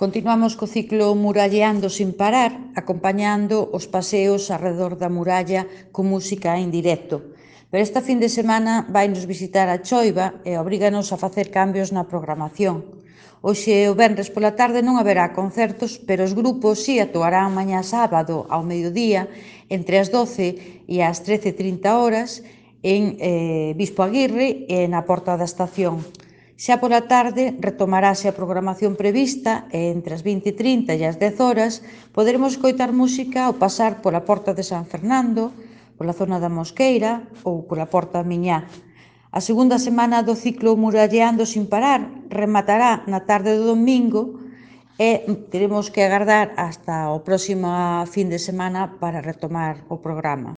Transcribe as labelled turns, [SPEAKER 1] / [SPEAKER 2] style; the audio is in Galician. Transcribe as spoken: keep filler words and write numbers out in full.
[SPEAKER 1] Continuamos co ciclo Muralleando sin parar, acompañando os paseos arredor da muralla con música en directo. Pero esta fin de semana vainos visitar a Choiva e obríganos a facer cambios na programación. Hoxe, o venres pola tarde, non haberá concertos, pero os grupos si actuarán mañá sábado ao mediodía, entre as doce e as trece e trinta horas, en eh, Bispo Aguirre e na Porta da Estación. Xa pola tarde retomarase a programación prevista e entre as vinte e trinta e as dez horas poderemos escoitar música ao pasar pola Porta de San Fernando, pola zona da Mosqueira ou pola Porta Miñá. A segunda semana do ciclo Muralleando sin parar rematará na tarde do domingo e teremos que agardar hasta o próximo fin de semana para retomar o programa.